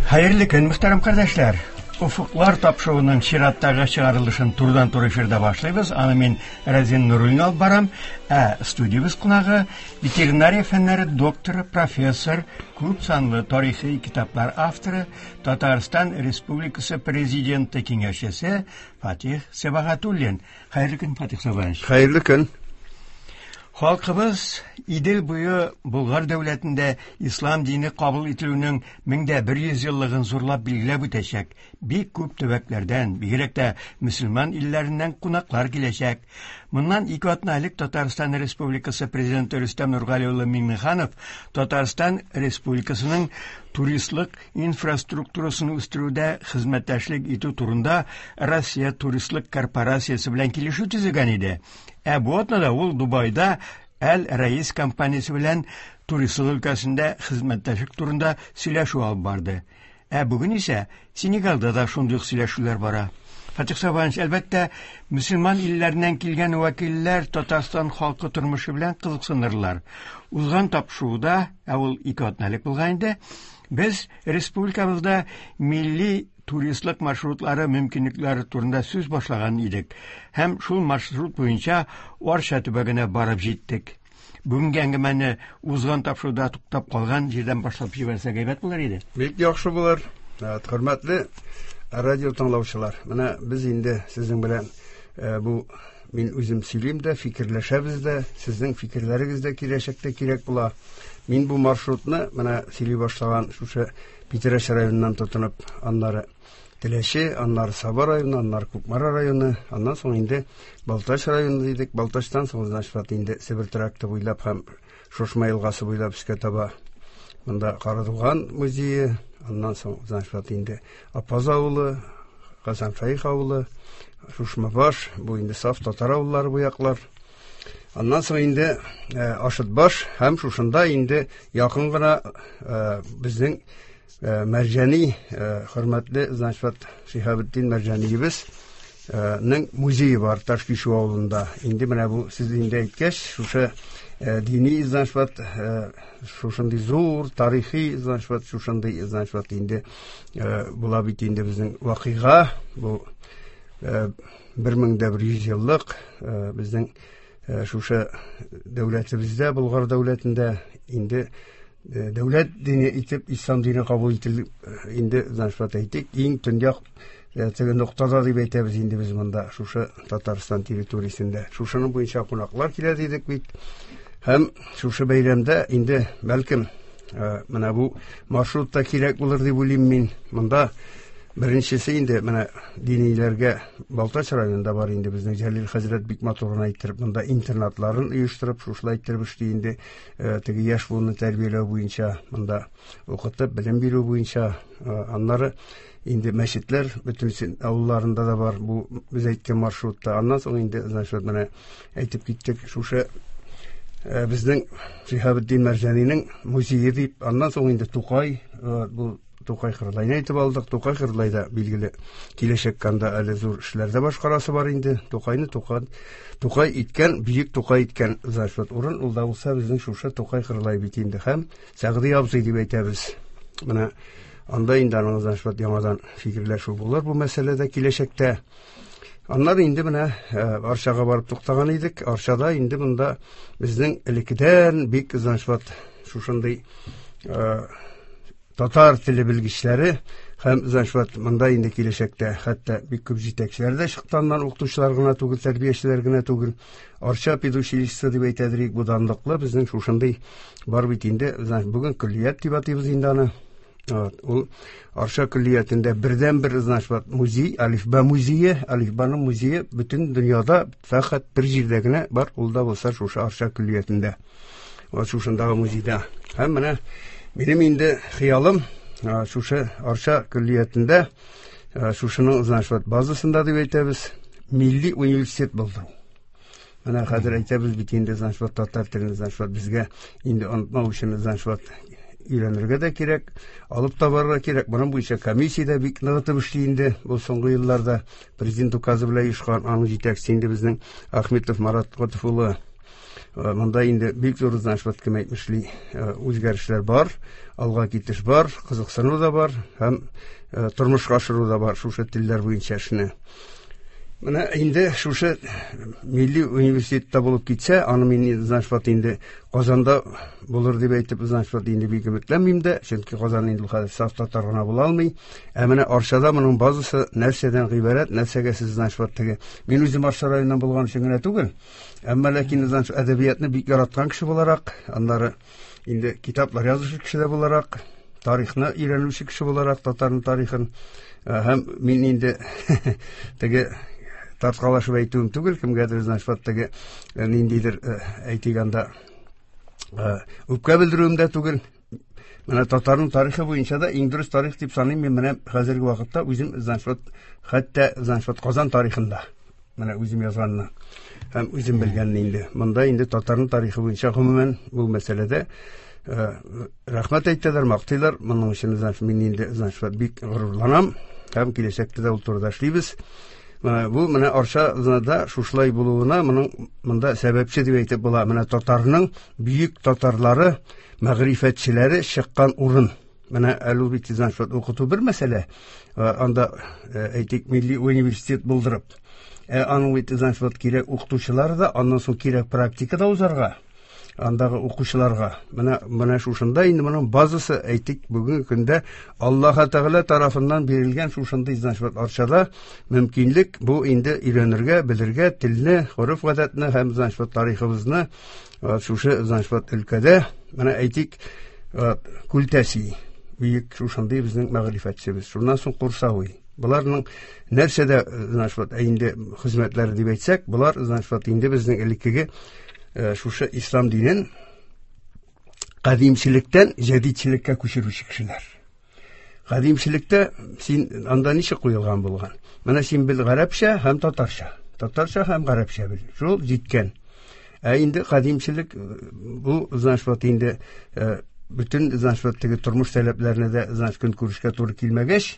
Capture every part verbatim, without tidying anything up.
Хәерле көн, мөхтәрәм кардәшләр. Уфыклар тапшыруының чираттагы чыгарылышын турыдан-туры эфирда башлыйбыз. Аны мин Разин Нуруллин алып барам. Ә студиябез кунагы ветеринария фәннәре докторы, профессор, күп санлы тарихи китаплар авторы, Татарстан Республикасы президенты киңәшчесе Фатих Сибагатуллин. Хәерле көн, Фатих Сабанович. Хәерле көн. Халкыбыз Идел буе Болгар дәүләтендә ислам дине кабул ителүнең мең дә бер йөз еллыгын зурлап билгеләп үтәчәк. Бик күп төбәкләрдән, бигрәк тә мөселман илләреннән кунаклар киләчәк. Моннан ике атна элек Татарстан Республикасы президенты Рөстәм Нургали улы Миңнеханов Татарстан Республикасының туристлык инфраструктурасын үстерүдә хезмәттәшлек итү турында Россия туристлык корпорациясе белән килешү төзегән иде. Ә бу атнада ул Дубайда Әл-Раис компаниясе белән туристлык өлкәсендә хезмәттәшлек турында сөйләшү алып барды. Ә бүген исә Сенегалда да шундый ук сөйләшүләр бара. Фатих Сабанович, әлбәттә, мөселман илләреннән килгән вәкилләр Татарстан халкы тормышы белән кызыксынырлар. Узган тапшыруда, ә ул ике атна элек булган инде, без республикабызда милли туристлык маршрутлары мөмкинлекләре турында сүз башлаган идек. Һәм шул маршрут буенча Арча төбәгенә барып җиттек. Бүгенге әңгәмәне узган тапшыруда туктап калган җирдән башлап җибәрсәк әйбәт булыр иде. Бик яхшы булыр. Э, хөрмәтле радио тыңлаучылар, менә без инде сезнең белән, э, бу мин үзем сөйлим дә, фикерләшәбез дә, сезнең фикерләрегез дә киләчәктә кирәк була. Мин бу маршрутны менә сөйли башлаган шушы Питрәч районыннан тотынып, аннары Теләче, аннары Саба районы, аннары Кукмара районы, аннан соң инде Балтач районы дидек. Балтачтан соң, значит, инде Себер тракты буйлап һәм Шушма елгасы буйлап өскә таба монда Карадуган музее, аннан соң, значит, инде Апаз авылы, Казан Шәех авылы, Шушмабаш, бу инде саф татар авыллары бу яклар. Аннан соң инде, э, Ашытбаш һәм шушында инде якын гына, э, безнең, э, Мәрҗани, э, хөрмәтле, значит, Шиһабетдин Мәрҗаниебез, э, ның музее бар Ташкичү авылында. Инде менә бу сез инде әйткәч, шушы, э, дини, значит, э, шушындый зур тарихи, значит, шушындый, значит, инде, э, була бит инде безнең вакыйга, бу, э, бер мең дә бер йөз еллык, э, безнең, э, шушы дәүләтебездә, Болгар дәүләтендә инде, э, дәүләт дине итеп ислам дине кабул ителеп, э, инде, значит, әйтик, иң төньяк, э, теге ноктада дип әйтәбез инде без монда, шушы Татарстан территориясендә. Шушының буенча кунаклар килә дидек бит. Һәм шушы бәйрәмдә инде бәлкем, э, менә бу маршрут та кирәк булыр дип уйлыйм мин. Монда беренчесе инде менә диниләргә Балтач районында бар инде безнең Җәлил хәзрәт бик матур гына иттереп монда интернатларын оештырып, шушылай иттереп эшли инде, э, теге яшь буынны тәрбияләү буенча, монда укытып, белем бирү буенча, э, аннары инде мәчетләр бөтен авылларында да бар бу без әйткән маршрутта. Аннан соң инде, значит, менә әйтеп киттек, шушы, э, безнең Шиһабетдин Мәрҗанинең музее дип, аннан соң инде Тукай, э, бу Тукай Кырлайны әйтеп алдык. Тукай Кырлайда билгеле киләчәк анда әле зур эшләр дә башкарасы бар инде. Тукайны Тукай, Тукай иткән, бөек Тукай иткән, значит, урын ул да булса безнең шушы Тукай Кырлай бит инде. Һәм Сәгъди абзый дип әйтәбез. Менә анда инде аның, значит, яңадан фикерләшү булыр бу мәсьәләдә киләчәктә. Аннары инде менә, э, Арчага барып туктаган идек. Арчада инде монда безнең элеккедән бик, значит, шушындый, э, татар теле белгечләре һәм, значит, монда инде киләчәктә хәтта бик күп җитәкчеләр дә чыкты, аннан укытучылар гына түгел, тәрбиячеләр генә түгел. Арча педучилищесы дип әйтәдер, бу данлыклы безнең шушындый бар бит инде, значит, бүген көллият дип атыйбыз инде аны. Вот, ул Арча көллиятендә бердәнбер, значит, музей, Әлифба музее, Әлифбаның музее бөтен дөньяда фәкать бер җирдә генә бар, ул да булса шушы Арча көллиятендә. Вот шушындагы музейда. Һәм менә минем инде хыялым, а, шушы Арча көллиятендә, а, шушының, значит, базасында дип әйтәбез, милли университет булдыру. Менә хәзер әйтәбез бит инде, значит, татар телен, значит, безгә инде онытмау өчен, значит, өйрәнергә дә кирәк, алып та барырга кирәк. Моның буенча комиссия дә бик ныгытып эшли инде бу соңгы елларда. Президент указы белән оешкан, аның җитәкчесе инде безнең Ахметов Марат Готов улы. Монда инде бик зур, значит, кем әйтмешли, үзгәрешләр бар, алга китеш бар, кызыксыну да бар һәм тормышка ашыру да бар шушы телләр буенча эшне. Менә инде шушы милли университетта булып китсә, аны мин, значит, инде Казанда булыр дип әйтеп, значит, инде бик өметләнмим дә, чөнки Казан инде хәзер саф татар гына була алмый. Ә менә Арчада моның базасы нәрсәдән гыйбарәт, нәрсәгә сез, значит, теге. Мин үзем Арча районыннан булган өчен генә түгел, әмма ләкин, значит, әдәбиятны бик яраткан кеше буларак, аннары инде китаплар язучы кеше дә буларак, тарихны өйрәнүче кеше буларак, татарның тарихын һәм мин инде теге тарткалашып әйтүем түгел, кемгәдер, значит, теге ниндидер әйтик анда үпкә белдерүем дә түгел. Менә татарның тарихы буенча да иң дөрес тарих дип саныйм мин менә хәзерге вакытта үзем, значит, хәтта, значит, Казан тарихында менә үзем язганны һәм үзем белгәнне инде. Монда инде татарның тарихы буенча гомумән бу мәсьәләдә рәхмәт әйтәләр, мактыйлар. Моның өчен, значит, мин инде, значит, бик горурланам һәм киләчәктә дә ул турыда эшлибез. Менә бу менә Арчада шушылай булуына моның монда сәбәпче дип әйтеп була. Менә татарның бөек татарлары, мәгърифәтчеләре чыккан урын. Менә әле ул бит, значит, укыту бер мәсьәлә. Анда әйтик милли университет булдырып, аның бит, значит, кирәк укытучылар да, аннан соң кирәк практика да узарга андагы укучыларга. Менә менә шушында инде моның базасы әйтик бүгенге көндә Аллаһ Тәгалә тарафыннан бирелгән шушындый, значит, Арчада мөмкинлек бу инде өйрәнергә, белергә телне, гореф-гадәтне һәм, значит, тарихыбызны шушы, значит, өлкәдә менә әйтик Күлтәси бөек шушындый безнең мәгърифәтчебез. Шуннан соң Курсавый. Буларның нәрсәдә, значит, инде хезмәтләре дип әйтсәк, булар, значит, инде безнең элеккеге шушы ислам динен кадимчелектән җәдидчелеккә күчерүче кешеләр. Кадимчелектә син анда ничек куелган булган? Менә син бел гарәпчә һәм татарча. Татарча һәм гарәпчә бел. Шул җиткән. Ә инде кадимчелек бу, значит, инде бөтен, значит, теге тормыш таләпләренә дә, значит, көнкүрешкә туры килмәгәч,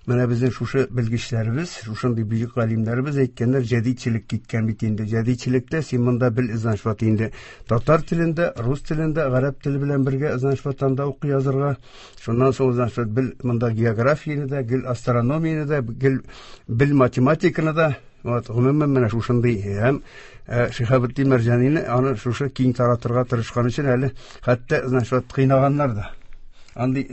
менә безнең шушы белгечләребез, шушындый бөек галимнәребез әйткәннәр, җәдидчелек киткән бит инде. Җәдидчелектә син монда бел, значит, инде татар телендә, рус телендә, гарәп теле белән бергә, значит, анда укый язырга. Шуннан соң, значит, бел монда географияне дә, гел астрономияне дә, гел бел математиканы да. Вот, гомумән менә шушындый һәм Шиһабетдин Мәрҗанине аны шушы киң таратырга тырышкан өчен әле хәтта, значит, кыйнаганнар да. Андый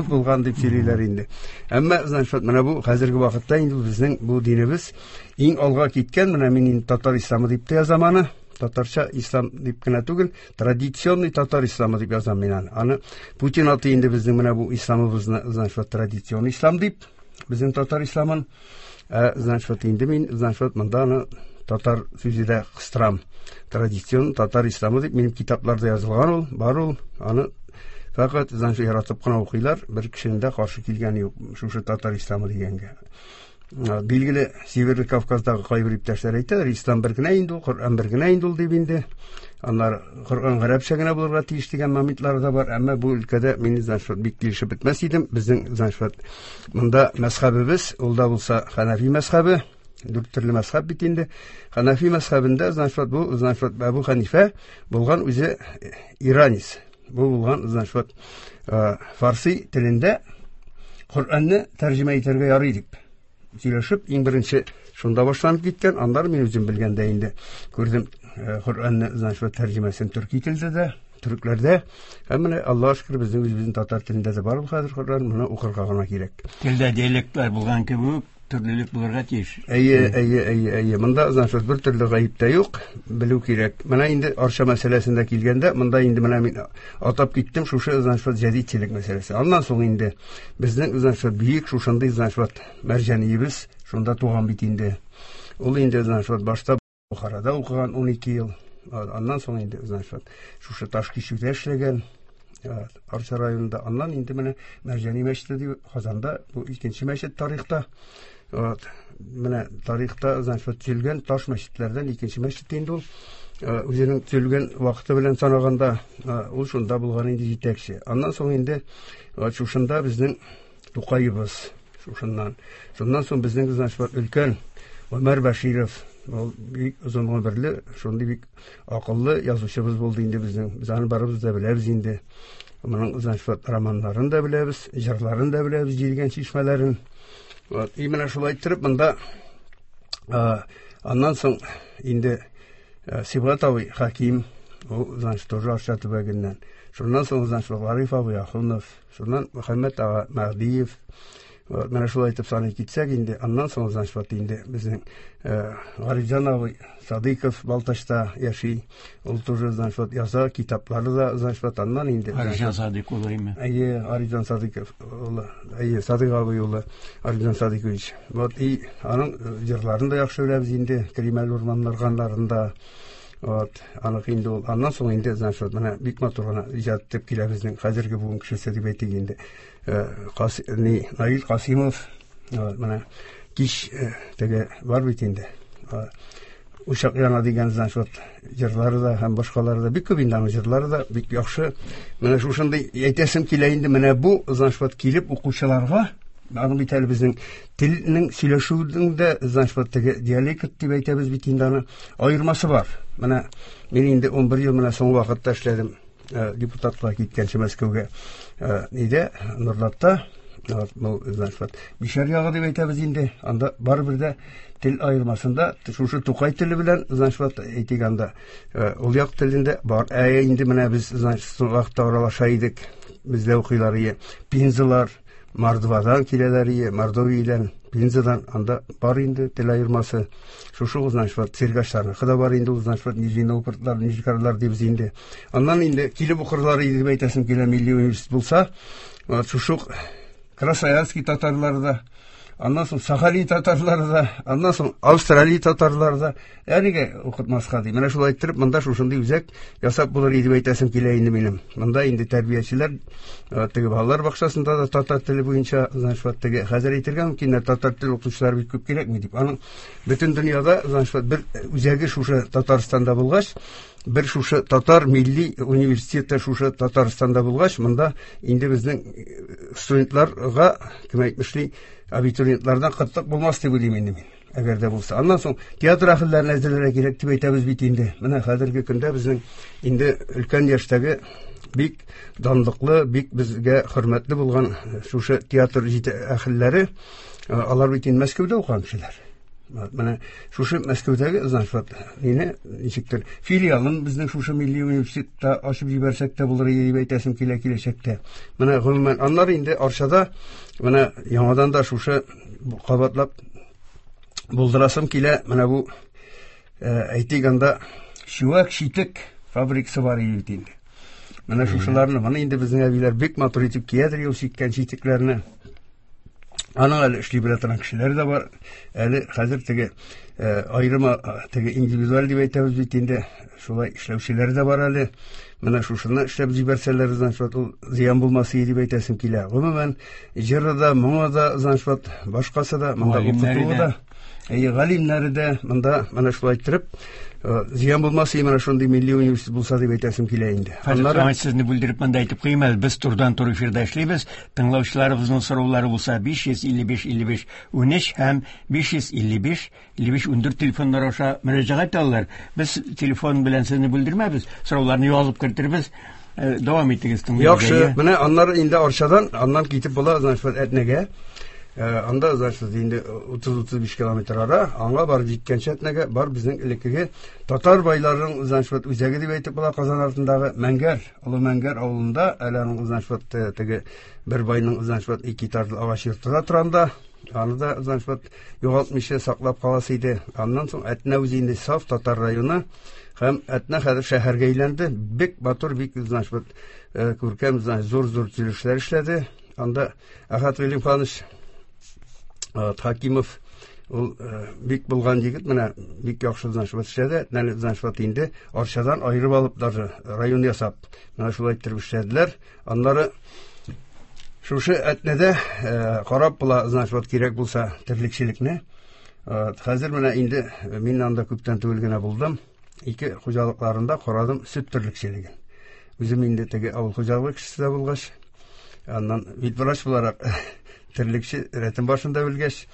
булган дип сөйлиләр инде. Әмма, значит, менә бу хәзерге вакытта инде безнең бу динебез иң алга киткән, менә мин инде татар исламы дип тә язам аны, татарча ислам дип кенә түгел, традиционный татар исламы дип язам мин аны. Аны Путин аты инде безнең менә бу исламыбызны, значит, традиционный ислам дип, безнең татар исламын, ә, значит, инде мин, значит, монда аны татар сүзе дә кыстырам. Традицион татар исламы дип минем китапларда язылган ул, бар ул, аны фәкать, значит, яратып кына укыйлар, бер кешенең дә каршы килгәне юк шушы татар исламы дигәнгә. Билгеле, Северный Кавказдагы кайбер иптәшләр әйтәләр, ислам бер генә инде ул, Коръән бер генә инде ул дип инде. Аннары Коръән гарәпчә генә булырга тиеш дигән моментлар да бар, әмма бу өлкәдә мин, значит, бик килешеп бетмәс идем. Безнең, значит, монда мәзхәбебез, ул да булса Ханафи мәзхәбе, дүрт төрле мәзхәб бит инде. Ханафи мәзхәбендә, значит, бу, значит, Әбу Ханифә булган үзе иранец. Бу булган, значит, фарси телендә Коръәнне тәрҗемә итәргә ярый дип сөйләшеп, иң беренче шунда башланып киткән. Аннары мин үзем белгәндә инде күрдем, Коръәнне, значит, тәрҗемәсен төрки телдә дә, төрекләрдә. Һәм менә Аллаһ шөкер, безнең үзебезнең татар телендә дә бар ул хәзер Коръән, моны укырга гына кирәк. Телдә диалектлар булган кебек, төрлелек булырга тиеш. Әйе, әйе, әйе, әйе. Монда, значит, бер төрле гаеп тә юк, белү кирәк. Менә инде Арча мәсьәләсендә килгәндә, монда инде менә мин атап киттем шушы, значит, җәдидчелек мәсьәләсе. Аннан соң инде безнең, значит, бөек шушындый, значит, Мәрҗаниебез шунда туган бит инде. Ул инде, значит, башта Бухарада укыган ун ике ел. Аннан соң инде, значит, шушы Ташкичүдә эшләгән. Арча районында. Аннан инде менә Мәрҗани мәчете дип Казанда, бу икенче мәчет тарихта. Вот, менә тарихта, значит, төзелгән таш мәчетләрдән икенче мәчет инде ул. Үзенең төзелгән вакыты белән санаганда, ул шунда булган инде җитәкче. Аннан соң инде, вот, шушында безнең Тукаебыз, шушыннан. Шуннан соң безнең, значит, өлкән Гомәр Бәширов, Ул бик озын гомерле, шундый бик акыллы язучыбыз булды инде безнең. Без аны барыбыз да беләбез инде. Моның, значит, романнарын да беләбез, җырларын да беләбез, җилгән чишмәләрен. Вот, и менә шулай иттереп монда аннан соң инде Сибгат абый Хаким, ул, значит, тоже Арча төбәгеннән. Шуннан соң, значит, Гариф абый Ахунов, шуннан Мөхәммәт ага Мәһдиев. Вот, менә шулай итеп саный китсәк инде, аннан соң, значит, вот инде безнең Гарифҗан абый Садыйков Балтачта яши. Ул тоже, значит, вот яза, китаплары да, значит, вот аннан инде. Гарифҗан Садыйк улы име? Әйе, Гарифҗан Садыйков улы. Әйе, Садыйк абый улы, Гарифҗан Садыйкович. Вот, и аның җырларын да яхшы беләбез инде, Кремәл урманнарганнарында. Вот, аныкы инде ул. Аннан соң инде, значит, вот менә бик матур гына иҗат итеп килә безнең хәзерге буын кешесе дип әйтик инде. Кас, ни, Наил Касимов, вот, менә кич теге бар бит инде. Учак яна дигән, значит, вот җырлары да һәм башкалары да бик күп инде, аның җырлары да бик яхшы. Менә шушындый әйтәсем килә инде, менә бу, значит, вот килеп укучыларга, аның бит әле безнең телнең сөйләшүнең дә, значит, вот теге диалект дип әйтәбез бит инде, аны аермасы бар. Менә мин инде ун бер ел менә соңгы вакытта эшләдем, депутатлар киткәнче Мәскәүгә, нидә, Нурлатта, вот, ну, значит, вот Бишәр ягы дип әйтәбез инде, анда барыбер дә тел аермасында шушы Тукай теле белән, значит, вот әйтик анда, ул як телендә бар. Ә инде менә без, значит, соңгы вакытта аралаша идек, бездә укыйлар ие, Пензалар, Мордвадан киләләр ие, Мордовиядән, Пензадан, анда бар инде тел аермасы. Шушы, значит, вот Сергачларныкы да бар инде ул, значит, вот Нижний Новгород, Нижегородлар дибез инде. Аннан инде килеп укырлар иде дип әйтәсем килә, милли университет булса, вот шушы Красноярский татарлары да, аннан соң Сахалин татарлары да, аннан соң Австралия татарлары да, ә нигә укытмаска ди. Менә шулай иттереп монда шушындый үзәк ясап булыр иде дип әйтәсем килә инде минем. Монда инде тәрбиячеләр, теге балалар бакчасында да татар теле буенча, значит, вот теге хәзер әйтергә мөмкин, татар теле укытучылар бик күп кирәкми дип. Аның бөтен дөньяда, значит, вот бер үзәге шушы Татарстанда булгач, бер шушы татар милли университеты шушы Татарстанда булгач, монда инде безнең студентларга, кем әйтмешли, абитуриентлардан кытлык булмас дип уйлыйм инде мин. Әгәр дә булса. Аннан соң театр әһелләрен әзерләргә кирәк дип әйтәбез бит инде. Менә хәзерге көндә безнең инде өлкән яшьтәге бик данлыклы, бик безгә хөрмәтле булган шушы театр әһелләре, алар бит инде Мәскәүдә укыган кешеләр. Менә шушы Мәскәүдәге, значит, вот мине ничектер филиалын безнең шушы милли университетта ачып җибәрсәк тә булыр иде дип әйтәсем килә киләчәктә. Менә гомумән аннары инде Арчада менә яңадан да шушы кабатлап булдырасым килә. Менә бу, әйтик анда чүәк читек фабрикасы бар иде бит инде. Менә шушыларны, моны инде безнең әбиләр бик матур итеп киядер ул чиккән читекләрне. Аның әле эшли белә торган кешеләр дә бар. Әле хәзер теге, аерым, теге индивидуаль дип әйтәбез бит инде, шулай эшләүчеләр дә бар әле. Менә шушыны эшләп җибәрсәләр, значит, ул зыян булмас иде дип әйтәсем килә. Гомумән, җыры да, моңы да, значит, башкасы да, монда укытуы да, әйе, галимнәре дә монда менә шулай иттереп, зыян булмас иде, менә шундый милли университет булса дип әйтәсем килә инде. Хәзер Аннары сезне бүлдереп монда әйтеп куйыйм әле, без турыдан-туры эфирда эшлибез. Тыңлаучыларыбызның сораулары булса биш йөз илле биш илле биш унөч һәм биш йөз илле биш илле биш ундүрт телефоннар аша мөрәҗәгать итә алалар. Без телефон белән сезне бүлдермәбез, сорауларны язып кертербез. Э, дәвам итегез, тыңлыйбыз. Яхшы, менә аннары инде Арчадан, аннан китеп була, значит, Әтнәгә. Э, анда, значит, инде утыз-утыз биш километр ара, аңа барып җиткәнче Әтнәгә бар безнең элеккеге татар байларының, значит, үзәге дип әйтеп була, Казан артындагы Мәңгәр, Олы Мәңгәр авылында, әле аның, значит, теге бер байның, значит, ике этажлы агач йорты да тора анда. Аны да, значит, югалтмыйча саклап каласы иде. Аннан соң Әтнә үзе инде саф татар районы һәм Әтнә хәзер шәһәргә әйләнде. Бик матур, бик, значит, күркәм, значит, зур-зур төзелешләр эшләде. Анда Әхәт Гыйлемханович Хакимов ул, бик булган егет, менә бик яхшы, значит, эшләде. Әтнәне, значит, инде Арчадан аерып алып даже район ясап, менә шулай иттереп эшләделәр. Аннары шушы Әтнәдә, карап була, значит, вот кирәк булса терлекчелекне. Хәзер менә инде мин анда күптән түгел генә булдым. Ике хуҗалыкларында карадым сөт терлекчелеген. Үзем инде теге авыл хуҗалыгы кешесе дә булгач, аннан ветврач буларак терлекче рәтен башында белгәч,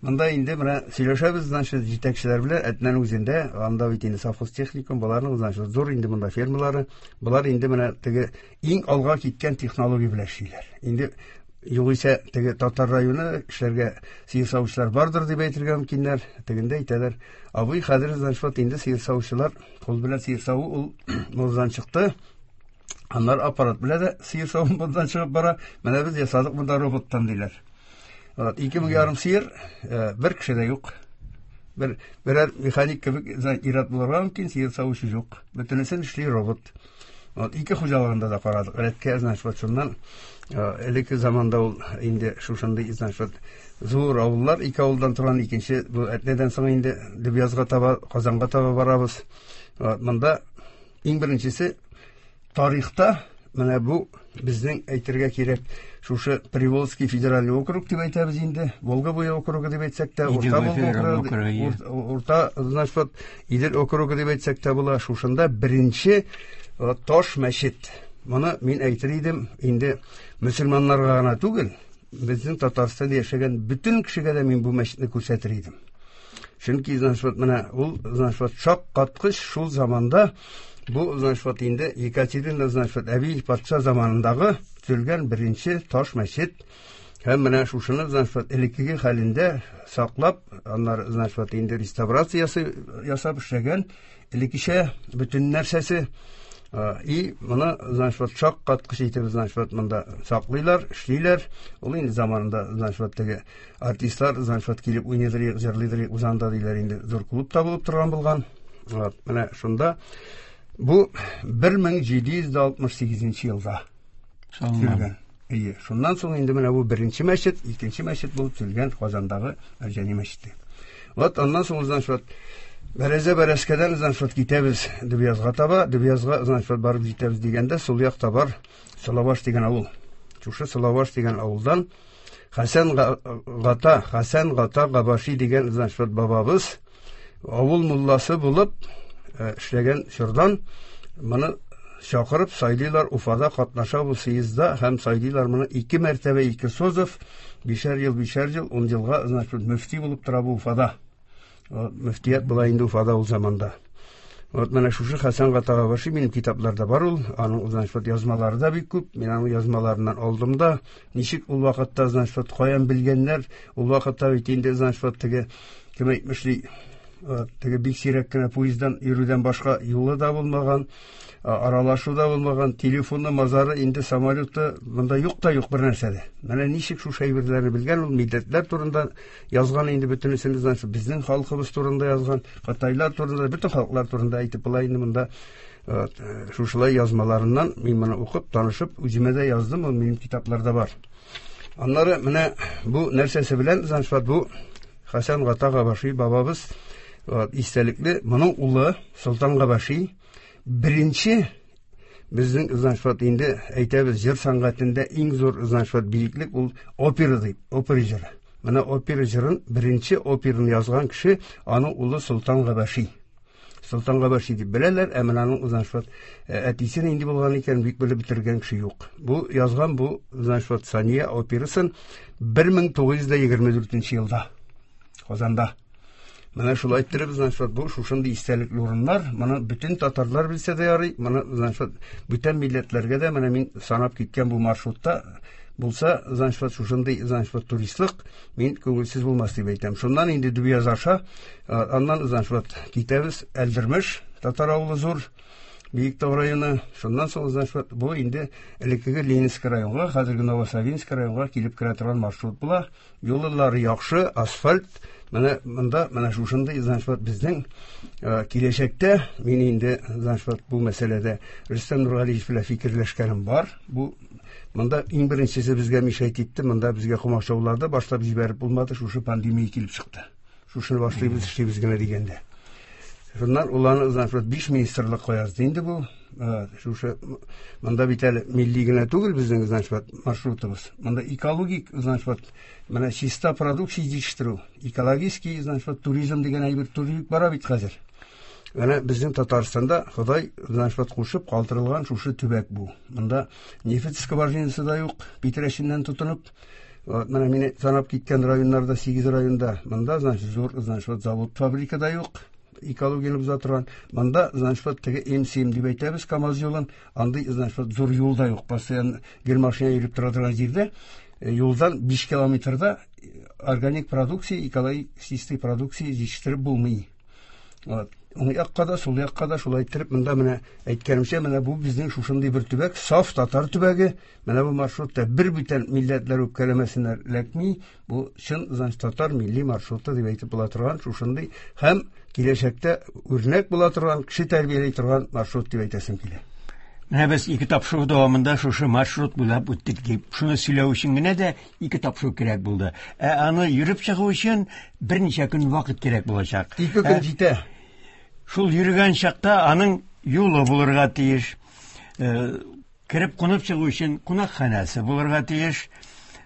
Монда инде менә сөйләшәбез, значит, җитәкчеләр белән Әтнәнең үзендә, анда бит инде совхоз техникум, боларның, значит, зур инде монда фермалары, болар инде менә теге иң алга киткән технология белән эшлиләр. Инде югыйсә теге татар районы эшләргә сыер савучылар бардыр дип әйтергә мөмкиннәр. Тегендә әйтәләр, абый, хәзер, значит, инде сыер савучылар кул белән сыер саву ул модадан чыкты. Аннар аппарат белән дә сыер саву модадан чыгып бара. Менә без ясадык монда роботтан диләр. Вот, ике мең ярым сыер, бер кеше дә юк. Бер берәр механик кебек ир-ат булырга мөмкин, сыер савучы юк. Бөтенесен эшли робот. Вот, ике хуҗалыгында да карадык. Рәткә, значит, вот шуннан элекке заманда ул инде шушындый, значит, вот зур авыллар, ике авылдан торган икенче, бу Әтнәдән соң инде Дөбъязга таба, Казанга таба барабыз. Вот, монда иң беренчесе тарихта менә бу безнең әйтергә кирәк, шушы Приволжский федеральный округ дип әйтәбез инде, Волга буе округы дип әйтсәк тә, Урта Волга округы, Урта, значит, вот Идел округы дип әйтсәк тә була. Шушында беренче таш мәчет. Моны мин әйтер идем, инде мөселманнарга гына түгел, безнең Татарстанда яшәгән бөтен кешегә дә мин бу мәчетне күрсәтер идем. Чөнки, значит, вот менә ул, значит, вот шаккаткыч шул заманда бу, значит, вот инде Екатерина, значит, вот әби патша заманындагы төзелгән беренче таш мәчет. Һәм менә шушыны, значит, вот элеккеге хәлендә саклап, аннары, значит, вот инде реставрациясе ясап эшләгән, элеккечә бөтен нәрсәсе. И моны, значит, вот шаккаткыч итеп, значит, вот монда саклыйлар, эшлиләр. Ул инде заманында, значит, вот теге артистлар, значит, вот килеп уйныйдыр, җырлыйдыр, узанда диләр инде, зур клуб та булып торган булган. Вот, менә шунда бу бер мең җиде йөз алтмыш сигезенче елда төзелгән. Әйе, шуннан соң инде менә бу беренче мәчет, икенче мәчет булып төзелгән Казандагы Мәрҗани мәчете. Вот аннан соң, значит, вот Бәрәзә Бәрәскәдән, значит, вот китәбез Дөбъязга таба, Дөбъязга, значит, вот барып җитәбез дигәндә, сул якта бар Салаваш дигән авыл. Шушы Салаваш дигән авылдан Хәсән Гата, Хәсән Гата Габаши дигән, значит, вот бабабыз авыл мулласы булып эшләгән чордан моны чакырып сайлыйлар, Уфада катнаша бу съездда һәм сайлыйлар моны ике мәртәбә, ике созыв, бишәр ел, бишәр ел, ун елга, значит, мөфти булып тора бу Уфада. Мөфтият була инде Уфада ул заманда. Вот менә шушы Хәсән Гата Габаши минем китапларда бар ул, аның, значит, вот язмалары да бик күп. Мин аның язмаларыннан алдым да, ничек ул вакытта, значит, вот каян белгәннәр, ул вакытта бит инде, значит, вот теге кем әйтмешли, теге бик сирәк кенә поезддан йөрүдән башка юлы да булмаган, аралашу да булмаган, телефоны, мазары, инде самолеты монда юк та юк бер нәрсә дә. Менә ничек шушы әйберләрне белгән ул, милләтләр турында язган инде бөтенесен, значит, безнең халкыбыз турында язган, кытайлар турында, бөтен халыклар турында әйтеп була инде монда. Шушылай язмаларыннан мин моны укып, танышып, үземә дә яздым, ул минем китапларда бар. Аннары менә бу нәрсәсе белән, значит, бу Хәсән Гата Габаши бабабыз истәлекле, моның улы Солтан Габаши беренче безнең, значит, вот инде әйтәбез, җыр сәнгатендә иң зур, значит, вот биеклек ул опера дип, опера җыры. Менә опера җырын, беренче операны язган кеше аның улы Солтан Габаши. Солтан Габаши дип беләләр, ә менә аның, значит, вот әтисе нинди булган икән, бик белеп бетергән кеше юк. Бу язган бу, значит, вот Сания операсын бер мең тугыз йөз егерме дүртенче елда Казанда. Менә шулай иттереп, значит, вот бу шушындый истәлекле урыннар, моны бөтен татарлар белсә дә ярый, моны, значит, вот бүтән милләтләргә дә менә мин санап киткән бу маршрутта булса, значит, вот шушындый, значит, вот туристлык мин күңелсез булмас дип әйтәм. Шуннан инде Дөбъяз аша, аннан, значит, вот китәбез Әлдермеш, татар авылы зур, Биектау районы. Шуннан соң, значит, вот бу инде элеккеге Ленинск районга, хәзерге Новосавинск районга килеп керә торган маршрут була. Юллары яхшы, асфальт. Менә монда менә шушындый, значит, вот безнең киләчәктә мин инде, значит, вот бу мәсьәләдә Рөстәм Нургалиевич белән фикерләшкәнем бар. Бу монда иң беренчесе безгә мешать итте, монда безгә комачаулады, башлап җибәреп булмады, шушы пандемия килеп чыкты. Шушыны башлыйбыз, эшлибез генә дигәндә. Шуннан уланы, значит, вот биш министрлык язды инде бу. Шушы монда бит әле милли генә түгел безнең, значит, вот маршрутыбыз. Монда экологик, значит, вот менә чиста продукция җитештерү, экологический, значит, вот туризм дигән әйбер туризм бара бит хәзер. Менә безнең Татарстанда Ходай, значит, вот кушып калдырылган шушы төбәк бу. Монда нефть скважинасы да юк, Питрәченнән тотынып, Вот, менә мине санап киткән районнарда, сигез районда, монда, значит, зур, значит, вот завод, фабрика да юк, экологияне боза торган. Монда, значит, вот теге М семь дип әйтәбез, КАМАЗ юлын, андый, значит, вот зур юл да юк. Постоянно гел машина йөреп тора торган җирдә, э, юлдан биш километрда органик продукция, экологик чистый продукция җитештереп булмый. Вот. Уң якка да, сул якка да шулай иттереп, монда менә әйткәнемчә, менә бу безнең шушындый бер төбәк, саф татар төбәге. Менә бу маршрутта бер бүтән милләтләр үпкәләмәсеннәр эләкми. Бу чын, значит, татар милли маршруты дип әйтеп була торган шушындый һәм киләчәктә үрнәк була торган, кеше тәрбияли торган маршрут дип әйтәсем килә. Менә без ике тапшыру дәвамында шушы маршрут буйлап үттек дип, шуны сөйләү өчен генә дә ике тапшыру кирәк булды. Ә аны йөреп чыгу өчен берничә көн вакыт кирәк булачак. Ике көн Ә, җитә. Шул йөргән чакта аның юлы булырга тиеш. Э, кереп кунып чыгу өчен кунакханәсе булырга тиеш.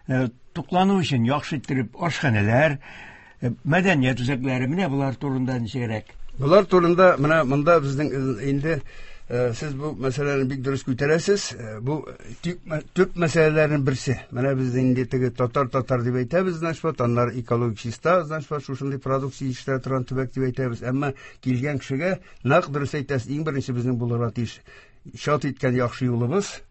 Э, туклану өчен яхшы иттереп ашханәләр, э, мәдәният үзәкләре, менә болар турында ничегрәк? Болар турында менә монда безнең инде, э, сез бу мәсьәләне бик дөрес күтәрәсез. Э, бу төп, төп мәсьәләләрнең берсе. Менә без инде теге татар-татар дип әйтәбез, значит, вот, аннары экологик чиста, значит, вот, шушындый продукция җитештерә торган төбәк дип әйтәбез. Әмма килгән кешегә нәкъ дөрес әйтәсез, иң беренче безнең булырга тиеш чат иткән яхшы юлыбыз.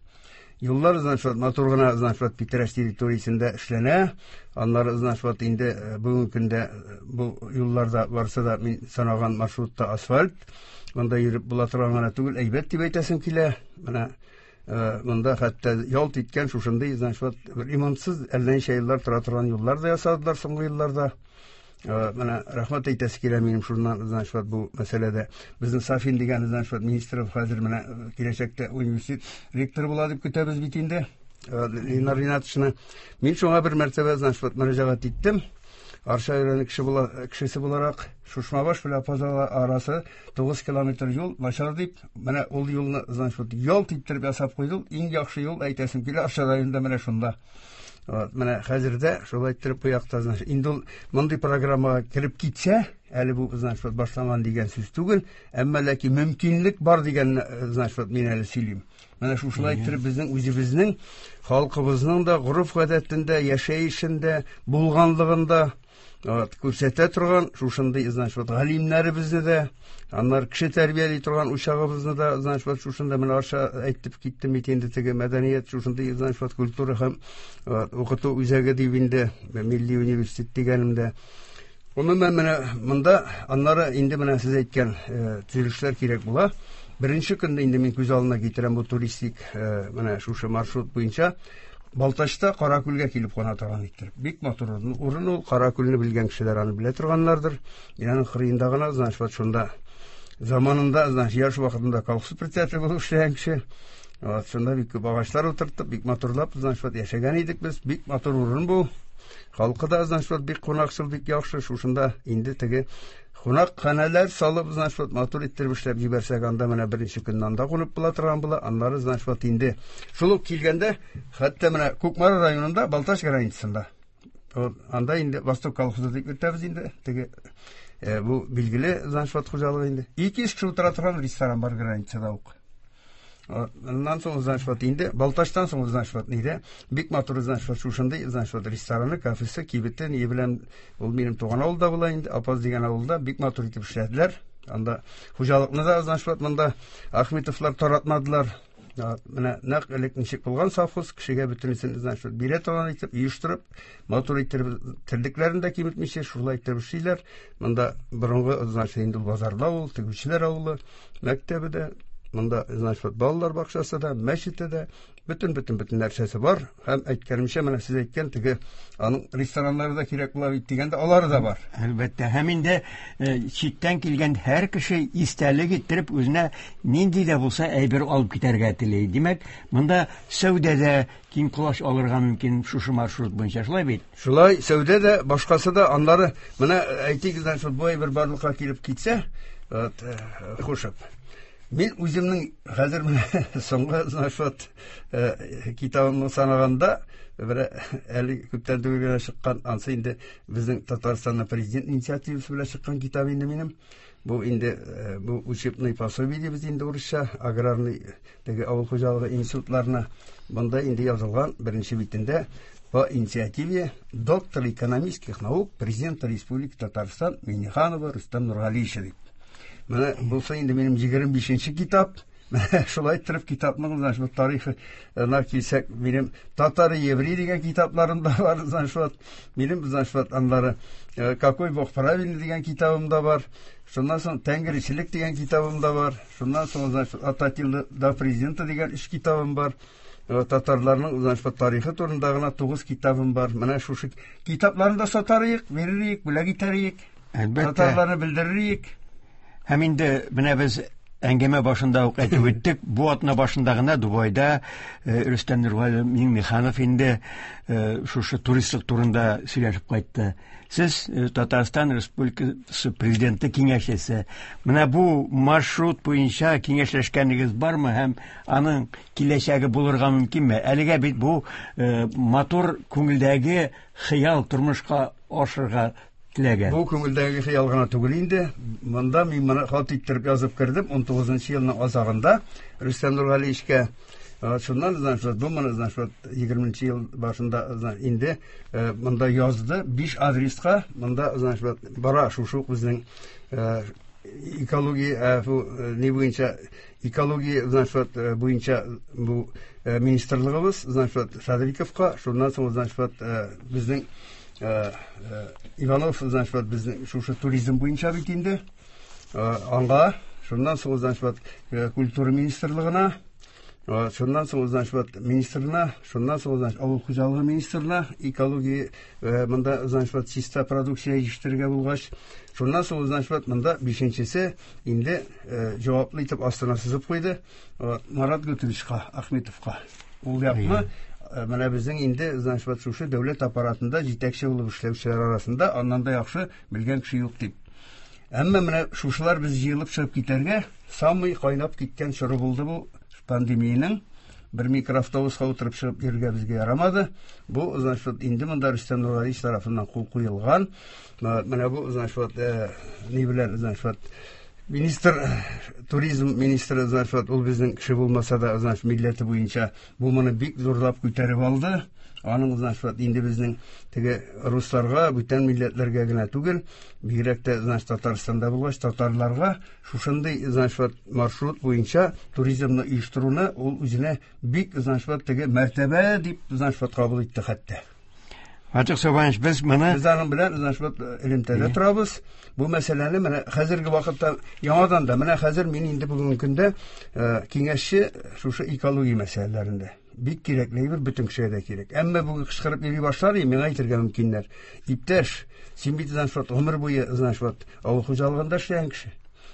Юллар, значит, вот, матур гына, значит, вот, Питрәч территориясендә эшләнә. Аннары, значит, вот, инде, э, бүгенге көндә, э, бу юлларда барсы да мин санаган маршрутта асфальт. Монда йөреп була торган гына түгел, әйбәт дип әйтәсем килә. Менә, э, монда хәтта ялт иткән шушындый, значит, вот, бер ремонтсыз әллә ничә еллар тора торган юллар да ясадылар соңгы елларда. Э, менә рәхмәт әйтәсе килә минем шуннан, значит, вот, бу мәсьәләдә. Безнең Сафин дигән, значит, вот, министр хәзер менә, э, киләчәктә университет ректоры була дип көтәбез бит инде. Э, Ленар Ринатовичны. Мин шуңа бер мәртәбә, значит, вот, мөрәҗәгать иттем. Арча районы кеше була, кешесе буларак, Шушмабаш белән Апазала арасы тугыз километр юл начар дип, менә ул юлны, значит, вот, ялт иттереп ясап куйды. Иң яхшы юл әйтәсем килә Арча районында менә шунда. Вот, менә хәзер дә шулай иттереп бу якта, значит, инде ул мондый программага кереп китсә, әле бу, значит, вот, башланган дигән сүз түгел, әмма ләкин мөмкинлек бар дигән, значит, вот, мин әле сөйлим. Менә шушылай иттереп безнең үзебезнең халкыбызның да гореф-гадәтендә, яшәешендә, булганлыгында, вот, күрсәтә торган шушындый, значит, вот, галимнәребезне дә, аннары кеше тәрбияли торган учагыбызны да, значит, вот, шушында менә Арча әйтеп киттем бит инде теге мәдәният, шушындый, значит, вот, культура һәм, вот, укыту үзәге дип инде милли университет дигәнемдә. Гомумән менә монда аннары инде менә сез әйткән, э, төзелешләр кирәк була. Беренче көндә инде мин күз алдына китерәм бу туристик, э, менә шушы маршрут буенча Балтачта Каракүлгә килеп куна торган иттереп. Бик матур урын. Урын ул, Каракүлне белгән кешеләр аны белә торганнардыр. Мин аның кырыенда гына, значит, вот шунда заманында, значит, яшь вакытында колхоз председателе булып эшләгән кеше. Вот, шунда бик күп агачлар утыртып, бик матурлап, значит, вот, яшәгән идек без. Бик матур урын бу. Халкы да, значит, вот, бик кунакчыл, бик яхшы. Шушында инде теге кунакханәләр салып, значит, вот, матур иттереп эшләп җибәрсәк, анда менә беренче көнне анда кунып була торган була. Аннары, значит, вот, инде шул ук килгәндә, хәтта менә Кукмара районында, Балтач границасында. Вот, анда инде Восток колхозы дип йөртәбез инде. Теге, э, бу билгеле, значит, вот, хуҗалыгы инде. Ике йөз кеше утыра торган ресторан бар границада ук. Вот, аннан соң, значит, вот, инде Балтачтан соң, значит, вот, нидә бик матур, значит, вот, шушындый, значит, вот, рестораны, кафесы, кибете, ни белән ул минем туган авылда була инде, Апаз дигән авылда бик матур итеп эшләделәр. Анда хуҗалыкны да, значит, вот, монда Ахметовлар таратмадылар. Вот, менә нәкъ элек ничек булган совхоз, кешегә бөтенесен, значит, вот, бирә торган итеп, оештырып, матур иттереп, терлекләрен дә киметмичә, шулай иттереп эшлиләр. Монда борынгы, значит, инде базарда ул, тегүчеләр авылы, мәктәбе дә, монда, значит, вот, балалар бакчасы да, мәчете дә, бөтен, бөтен, бөтен нәрсәсе бар. Һәм әйткәнемчә, менә сез әйткән теге аның рестораннары да кирәк була бит дигәндә, алары да бар. Әлбәттә, һәм инде, э, читтән килгән һәр кеше истәлек иттереп үзенә нинди дә булса әйбер алып китәргә тели. Димәк, монда сәүдә дә киң колач алырга мөмкин шушы маршрут буенча, шулай бит? Шулай, сәүдә дә, башкасы да, аннары менә әйтик, значит, бу әйбер барлыкка килеп китсә, вот, э, хушып. Мин үземнең хәзер менә соңгы, значит, вот, э, китабымны санаганда, бер әле күптән түгел генә чыккан, ансы инде безнең Татарстанның президент инициативасы белән чыккан китап инде минем. Бу инде, э, бу учебный пособие дибез инде урысча, аграрный теге авыл хуҗалыгы институтларына. Монда инде язылган беренче битендә по инициативе доктора экономических наук, президента Республики Татарстан Минниханова Рустам Нургалиевича дип. Менә булса инде минем егерме бишенче китап. Шулай иттереп китапның, значит, тарихына килсәк, минем Татар еврей дигән китапларым да бар, значит, минем, значит, анлары Какой Бог правильный дигән китабым да бар. Шуннан соң Тәңгерчелек дигән китабым да бар. Шуннан соң, значит, От Аттилы до президента дигән өч китабым бар. Татарларның, значит, тарихы турында гына тугыз китабым бар. Менә шушы китапларны да сатарыйк, бирерик, бүләк итәрик. Әлбәттә. Татарларны белдерерик. Һәм инде менә без әңгәмә башында ук әйтеп үттек, бу атна башында гына Дубайда Рөстәм Нургали Миңнеханов инде шушы туристлык турында сөйләшеп кайтты. Сез Татарстан Республикасы президенты киңәшчесе. Менә бу маршрут буенча киңәшләшкәнегез бармы һәм аның киләчәге булырга мөмкинме? Әлегә бит бу матур күңелдәге хыял тормышка ашырга теләгән. Бу күңелдәге хыял гына түгел инде. Монда мин моны хат иттереп язып кердем ун тугызынчы елның азагында Рөстәм Нургалиевичкә. Шуннан, значит, бу моны, значит, егерменче ел башында, значит, инде монда язды биш адреска. Монда, значит, бара шушы ук безнең экология, бу ни буенча экология, значит, буенча бу министрлыгыбыз, значит, Шадриковка, шуннан соң, значит, безнең Иванов, значит, безнең шушы туризм буенча бит инде аңга, шуннан соң, значит, культура министрлыгына, шуннан соң, значит, министрына, шуннан соң, значит, авыл хуҗалыгы министрына, экология монда, значит, чиста продукция җитештерергә булгач, шуннан соң, значит, монда бишенчесе инде җаваплы итеп астына сызып куйды Марат Гутовичка, Ахметовка. Ул якны менә безнең инде, значит, шушы дәүләт аппаратында җитәкче булып эшләүчеләр арасында аннан да яхшы белгән кеше юк дип. Әмма менә шушылар без җыелып чыгып китәргә самый кайнап киткән чоры булды бу пандемиянең. Бер микроавтобуска утырып чыгып йөрергә безгә ярамады. Бу, значит, инде монда Рөстәм Нургалиевич тарафыннан кул куелган. Менә бу, значит, ни белән, значит, министр, туризм министры, значит, ул безнең кеше булмаса да, значит, милләте буенча бу моны бик зурлап күтәреп алды. Аның, значит, инде безнең теге русларга, бүтән милләтләргә генә түгел, бигрәк тә, значит, Татарстанда булгач, татарларга шушындый, значит, маршрут буенча туризмны оештыруны ул үзенә бик, значит, теге мәртәбә дип, значит, кабул итте хәтта. Фатих Сабанович, без моны Без аның белән, значит, элемтәдә торабыз. Бу мәсьәләне менә хәзерге вакытта яңадан да, менә хәзер мин инде бүгенге көндә, э, киңәшче шушы экология мәсьәләләрендә. Бик кирәкле әйбер, бөтен кешегә дә кирәк. Әмма бүген кычкырып йөри башлар, миңа әйтергә мөмкиннәр. Иптәш, син бит, значит, гомер буе, значит, авыл хуҗалыгында эшләгән кеше.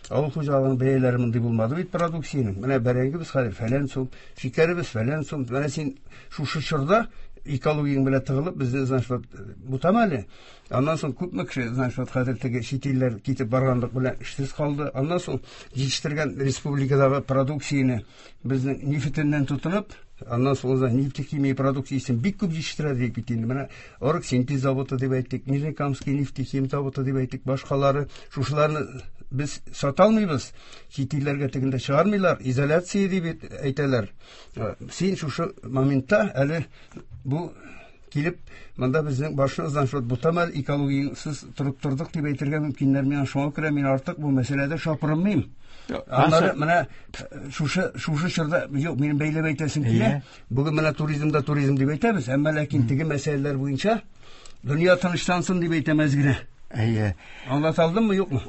Авыл хуҗалыгының бәяләре мондый булмады бит продукциянең. Менә бәрәңгебез хәзер фәлән сум, шикәребез фәлән сум. Менә син шушы чорда экологияң белән тыгылып, безне, значит, бутама әле. Аннан соң күпме кеше, значит, хәзер теге чит илләр китеп барганлык белән эшсез калды. Аннан соң җитештергән республикадагы продукцияне безнең нефтеннән тотынып, аннан соң уза нефтехимия продукциясен бик күп җитештерә дип бит инде. Менә Оргсинтез заводы дип әйттек, Нижнекамский нефтехим заводы дип әйттек, башкалары. Шушыларны без сата алмыйбыз, чит илләргә тегендә чыгармыйлар, изоляция дип әйтәләр. Син шушы моментта әле бу килеп монда безнең башны, значит, бутамал экологиясыз торып тордык дип әйтергә мөмкиннәр. Миңа шуңа күрә мин артык бу мәсьәләдә шапырынмыйм. Аннары менә шушы, шушы чорда, юк, минем бәйләп әйтәсем килә. Бүген менә туризмда туризм дип әйтәбез, әмма ләкин теге мәсьәләләр буенча дөнья тынычлансын дип әйтәмез генә. Әйе. Аңлата алдыммы, юкмы?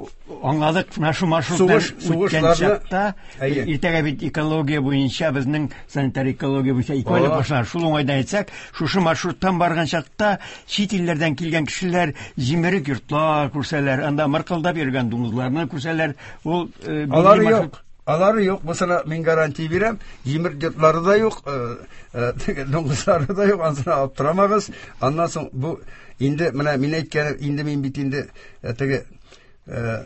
Аңладык. Менә шу маршруттан Сугыш, үткән сугышларны чакта, Әйе. иртәгә бит экология буенча, безнең санитар экология буенча ике айлык Aa. башлар. Шул уңайдан әйтсәк, шушы маршруттан барган чакта чит илләрдән килгән кешеләр җимерек йортлар күрсәләр, анда мыркылдап йөргән дуңгызларны күрсәләр, ул, э, билгеле Алары маршрут юк. Алары юк, бусына мин гарантия бирәм. Җимерек йортлары да юк, э, э, дуңгызлары да юк, ансына аптырамагыз. Аннан соң бу инде менә мин әйткән, инде мин бит инде, э, теге, э,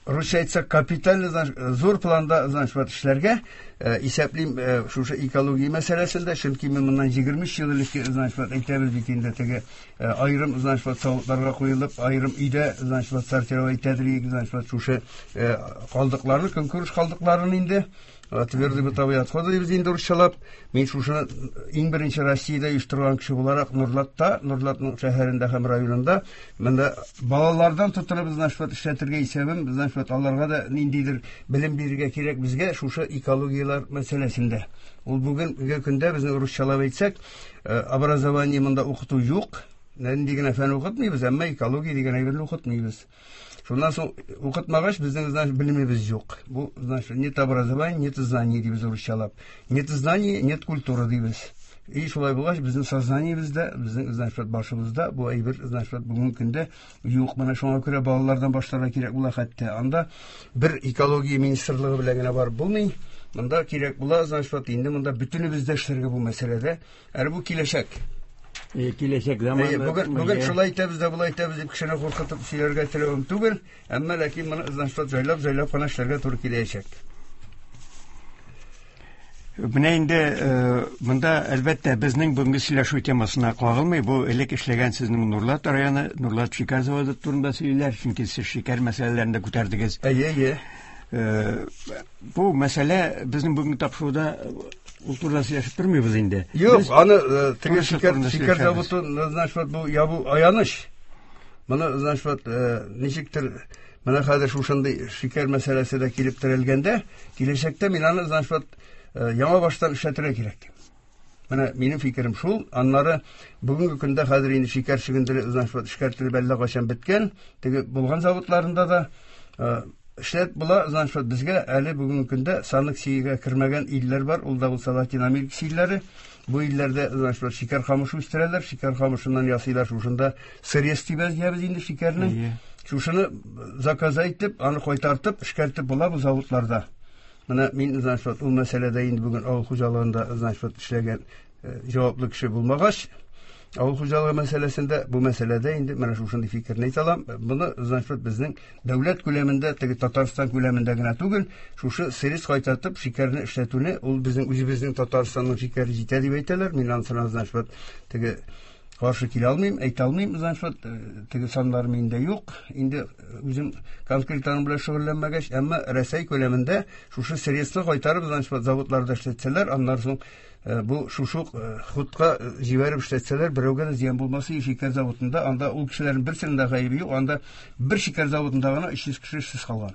русча әйтсәк, капиталь, значит, зур планда, значит, вот эшләргә, э, исәплим, э, шушы экология мәсьәләсендә, чөнки мин моннан егерме өч ел элек, значит, вот әйтәбез бит инде теге, э, аерым, значит, вот савытларга куелып, аерым өйдә, значит, вот сортировать итәдер, значит, вот шушы, э, калдыкларны, көнкүреш калдыкларын инде, Твердые бытовые отходы дибез инде русчалап. Мин шушыны иң беренче Россиядә оештырган кеше буларак Нурлатта, Нурлатның шәһәрендә һәм районында монда балалардан тотынып, значит, эшләтергә исәбем, значит, аларга да ниндидер белем бирергә кирәк безгә шушы экологияләр мәсьәләсендә. Ул бүгенге көндә безнең русчалап әйтсәк, образование монда укыту юк. Нинди генә фән укытмыйбыз, әмма экология дигән әйберне укытмыйбыз. Шуннан соң укытмагач, безнең, значит, белемебез юк. Бу, значит, нет образования, нет знаний дибез русчалап. Нет знаний, нет культуры дибез. И шулай булгач, безнең сознаниебездә, безнең, значит, башыбызда бу әйбер, значит, бүгенге көндә юк. Менә шуңа күрә балалардан башларга кирәк була хәтта. Анда бер экология министрлыгы белән генә барып булмый. Монда кирәк була, значит, инде монда бөтенебез дә эшләргә бу мәсьәләдә. Әле бу киләчәк. Киләчәк заманы. Бүген, бүген шулай итәбез дә, болай итәбез дип кешене куркытып сөйләргә теләвем түгел, әмма ләкин моны, значит, җайлап, җайлап кына эшләргә туры киләчәк. Менә инде монда әлбәттә безнең бүгенге сөйләшү темасына кагылмый. Бу элек эшләгән сезнең Нурлат районы, Нурлат шикәр заводы турында сөйлиләр, чөнки сез шикәр мәсьәләләрен дә күтәрдегез. Әйе, әйе. Бу мәсьәлә безнең бүгенге тапшыруда ул турыда сөйләшеп тормыйбыз инде. Юк, аны теге шикәр, шикәр заводы, значит, бу ябу аяныч. Моны, значит, ничектер менә хәзер шушындый шикәр мәсьәләсе дә килеп терәлгәндә, киләчәктә мин аны, значит, яңа баштан эшләтергә кирәк. Менә минем фикерем шул. Аннары бүгенге көндә хәзер инде шикәр чөгендере, значит, эшкәртелеп әллә кайчан беткән, теге булган заводларында да эшләп була, значит, безгә әле бүгенге көндә санкциягә кермәгән илләр бар, ул да булса Латин Америкасы илләре. Бу илләрдә, значит, шикәр камышы үстерәләр, шикәр камышыннан ясыйлар шушында сырез дибез дибез инде шикәрнең. Шушыны заказ итеп, аны кайтартып, эшкәртеп була бу заводларда. Менә мин, значит, ул мәсьәләдә инде бүген авыл хуҗалыгында, значит, эшләгән җаваплы кеше булмагач, авыл хуҗалыгы мәсьәләсендә бу мәсьәләдә инде менә шушындый фикерне әйтә алам. Моны, значит, безнең дәүләт күләмендә, теге Татарстан күләмендә генә түгел, шушы сырез кайтартып шикәрне эшләтүне, ул безнең үзебезнең Татарстанның шикәре җитә дип әйтәләр. Мин ансына, значит, теге каршы килә алмыйм, әйтә алмыйм, значит, теге саннар миндә юк. Инде үзем конкрет аның белән шөгыльләнмәгәч, әмма Рәсәй күләмендә шушы сырезны кайтарып, значит, заводларда эшләтсәләр, аннан соң бу шушы хутка җибәреп эшләтсәләр, берәүгә дә зыян булмас. Шикәр заводында анда ул кешеләрнең берсенең дә гаебе юк, анда бер шикәр заводында гына өч йөз кеше эшсез калган.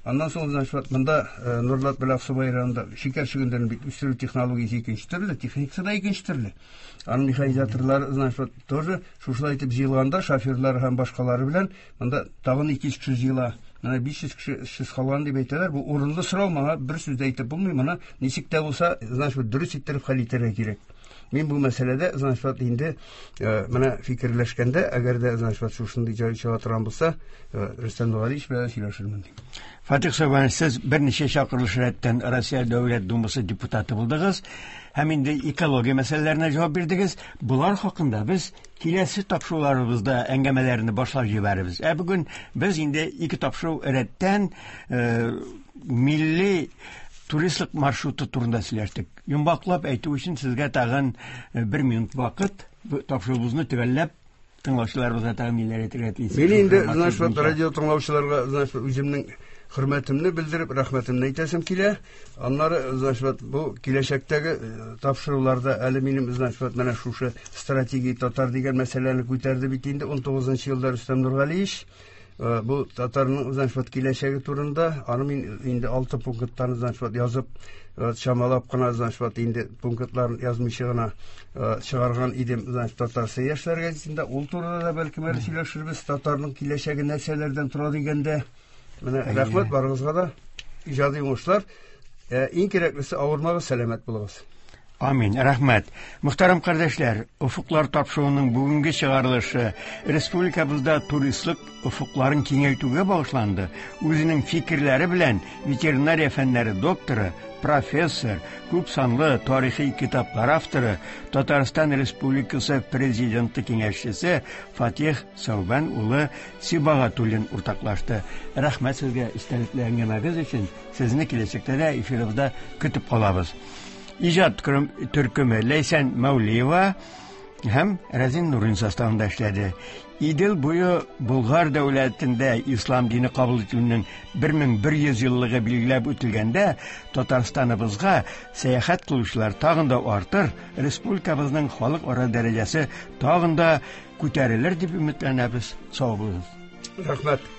Аннан соң, значит, монда Нурлат белән Аксубай районында шикәр чөгендерен бит үстерү технологиясе икенче төрле, техникасы да икенче төрле. Аның механизаторлары, значит, тоже шушылай итеп җыелганда, шоферлар һәм башкалары белән монда тагын ике йөз кеше җыела. Менә биш йөз кеше эшсез калган дип әйтәләр. Бу урынлы сорау, моңа бер сүз дә әйтеп булмый. Моны ничек тә булса, значит, дөрес иттереп хәл итәргә кирәк. Мин бу мәсьәләдә, значит, инде менә фикерләшкәндә, әгәр дә, значит, шушындый җай чыга торган булса, Рөстәм Нургалиевич белән сөйләшермен. Фатих Сәүбәнович, сез берничә чакырылыш рәттән Россия Дәүләт Думасы депутаты булдыгыз һәм инде экология мәсьәләләренә җавап бирдегез. Булар хакында без киләсе тапшыруларыбызда әңгәмәләрне башлап җибәрербез. Ә бүген без инде ике тапшыру рәттән милли туристлык маршруты турында сөйләштек. Йомгаклап әйтү өчен сезгә тагын бер минут вакыт. Тапшыруыбызны төгәлләп тыңлаучыларыбызга тагын ниләр әйтергә телисез? Мин инде, значит, радио тыңлаучыларга, значит, үземнең хөрмәтемне белдереп, рәхмәтемне әйтәсем килә. Аннары, значит, бу киләчәктәге тапшыруларда әле минем, значит, менә шушы стратегия татар дигән мәсьәләне күтәрде бит инде ун тугызынчы елда Рөстәм Нургалиевич. Бу татарның, значит, киләчәге турында, аны мин инде алты пункттан, значит, язып, чамалап кына, значит, инде пунктларын язмыйча гына чыгарган идем, значит, Татарстан яшьләр газетында. Ул турыда да бәлкем әле сөйләшербез, татарның киләчәге нәрсәләрдән тора дигәндә. Менә рәхмәт барыгызга да, иҗади уңышлар. Иң кирәклесе, авырмагыз, сәламәт булыгыз. Амин, рәхмәт. Мөхтәрәм кардәшләр, Офыклар тапшыруының бүгенге чыгарылышы республикабызда туристлык офыкларын киңәйтүгә багышланды. Үзенең фикерләре белән ветеринария фәннәре докторы, профессор, күп санлы тарихи китаплар авторы, Татарстан Республикасы президенты киңәшчесе Фатих Сәүбән улы Сибагатуллин уртаклашты. Рәхмәт сезгә истәлекле әңгәмәгез өчен. Сезне киләчәктә дә эфирыбызда көтеп калабыз. Иҗат төркеме Ләйсән Мәүлиева һәм Рәзин Нурин составында эшләде. Идел буе Болгар дәүләтендә ислам дине кабул ителүнең бер мең бер йөз еллыгы билгеләп үтелгәндә Татарстаныбызга сәяхәт кылучылар тагын да артыр, республикабызның халыкара дәрәҗәсе тагын да күтәрелер дип өметләнәбез. Сау булыгыз. Рәхмәт.